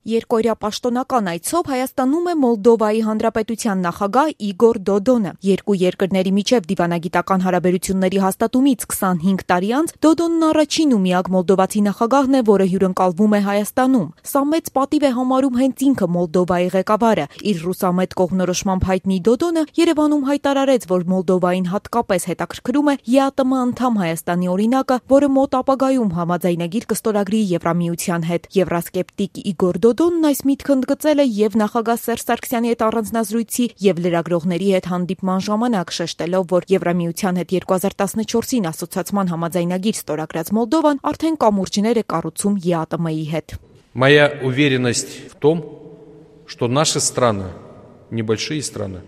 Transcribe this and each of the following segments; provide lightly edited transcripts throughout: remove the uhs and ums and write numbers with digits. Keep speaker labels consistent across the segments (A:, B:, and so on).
A: Երկօրյա պաշտոնական այցով Հայաստանում է Մոլդովայի Հանրապետության նախագահ Իգոր Դոդոնը։ Երկու երկրների միջև դիվանագիտական հարաբերությունների հաստատումից 25 տարի անց Դոդոնն առաջին ու միակ մոլդովացի նախագահն է, որը հյուրընկալվում է Հայաստանում։ Սա մեծ պատիվ է համարում հենց ինքը Մոլդովայի ղեկավարը։ Իր ռուսամետ կողմնորոշմամբ հայտնի Դոդոնը Երևանում հայտարարեց, որ Մոլդովային հատկապես հետաքրքրում է ԵԱՏՄ անդամ Հայաստանի օրինակը, որը մոտ ապագայում համաձայնագիր կստորագրի Եվրամիության հետ։ Եվրասկեպտիկ Իգոր Դոդոնն այս միտքը ընդգծել է եւ նախագահ Սերժ Սարգսյանի հետ առանձնազրույցի եւ լրագրողների հետ հանդիպման ժամանակ, շեշտելով, որ Եվրամիության հետ 2014-ին ասոցիացման համաձայնագիր ստորագրած Մոլդովան արդեն կամուրջներ է կառուցում ԵԱՏՄ-ի հետ։
B: Моя уверенность в том, что наши страны, небольшие страны,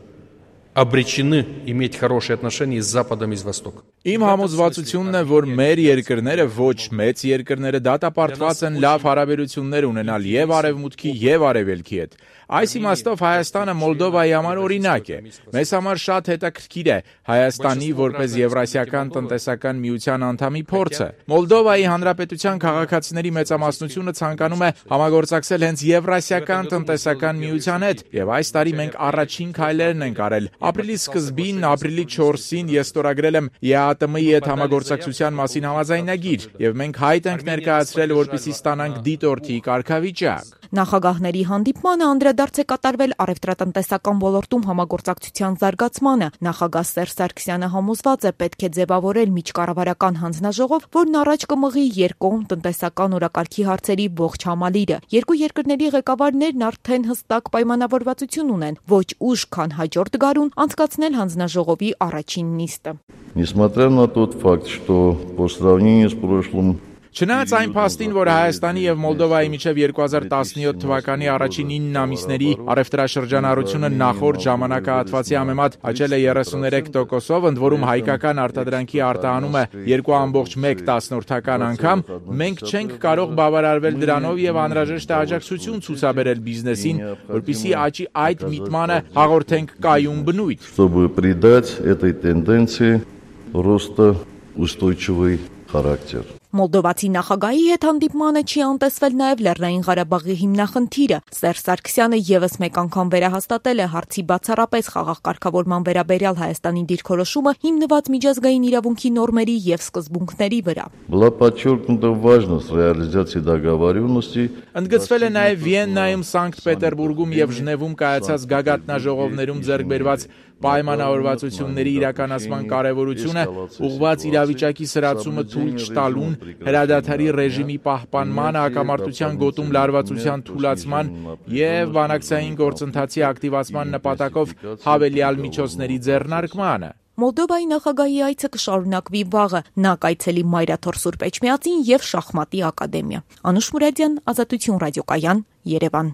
B: обречены иметь хорошие отношения с Западом и с Востоком.
C: Իմ համոզվածությունն է, որ մեր երկրները ոչ մեծ երկրները դատապարտված են լավ հարաբերություններ ունենալ եւ արևմուտքի եւ արևելքի հետ։ Այս իմաստով Հայաստանը Մոլդովայի համար օրինակ է։ Մեզ համար շատ հետաքրքիր է Հայաստանի որպես Եվրասիական տնտեսական միության անդամի փորձը։ Մոլդովայի Հանրապետության քաղաքացիների մեծամասնությունը ցանկանում է համագործակցել հենց Եվրասիական տնտեսական միության հետ, եւ այս տարի մենք առաջին քայլերն ենք արել։ Ապրիլի սկզբին, ապրիլի 4-ին ես ստորագրել եմ ԵԱՏՄ-ի հետ համագործակցության մասին համաձայնագիր, եւ մենք հայտ ենք ներկայացրել, որպեսզի ստանանք դիտորդի կարգավիճակ։
A: Նախագահների հանդիպմանը անդրադարձ է կատարվել առևտրատնտեսական ոլորտում համագործակցության զարգացմանը։ Նախագահ Սերժ Սարգսյանը համոզված է պետք է ձևավորել միջկառավարական հանձնաժողով, որն առաջ կմղի երկկողմ տնտեսական օրակարգի հարցերի ողջ համալիրը։ Երկու երկրների ղեկավարներն արդեն հստակ պայմանավորվածություն ունեն ոչ ուշ, քան հաջորդ գարուն անցկացնել հանձնաժողովի առաջին նիստը։
D: Несмотря на тот факт, что по сравнению с прошлым
C: Չնայած այն փաստին, որ Հայաստանի եւ Մոլդովայի միջև 2017 թվականի առաջին 9 ամիսների առևտրաշրջանառությունը նախորդ ժամանակահատվածի համեմատ աճել է 33%-ով, ընդ որում հայկական արտադրանքի արտահանումը 2.1 անգամ, մենք չենք կարող բավարարվել դրանով եւ անհրաժեշտ է աջակցություն ցուցաբերել բիզնեսին, որպեսզի աճի այդ միտմանը հաղորդենք կայուն բնույթ։
D: Чтобы придать этой тенденции роста устойчивый характер.
A: Մոլդովացի նախագահի հետ հանդիպմանը չի անտեսվել նաև Լեռնային Ղարաբաղի հիմնախնդիրը։ Սերժ Սարգսյանը եւս մեկ անգամ վերահաստատել է հարցի բացառապես խաղաղ կարգավորման վերաբերյալ Հայաստանի դիրքորոշումը հիմնված միջազգային իրավունքի նորմերի եւ սկզբունքների վրա։
D: Была подчеркнута важность реализации договоренностей.
C: Ընդգծվել է նաև Վիեննայում, Սանկտ Պետերբուրգում եւ Ժնևում կայացած գագաթնաժողովներում ձեռք բերված պայմանավորվածությունների իրականացման կարևորությունը, ուղղված իրավիճակի սրացումը թույլ չտալուն, հրադադարի ռեժիմի պահպանման, հակամարտության գոտում լարվածության թուլացման եւ բանակցային գործընթացի ակտիվացման նպատակով հավելյալ միջոցների ձեռնարկմանը։
A: Մոլդովայի նախագահի այցը կշարունակվի վաղը։ Նա կայցելի Մայրաթոր Սուրբ Էջմիածին եւ շախմատի ակադեմիա։ Անուշ Մուրադյան, Ազատություն ռադիոկայան, Երևան։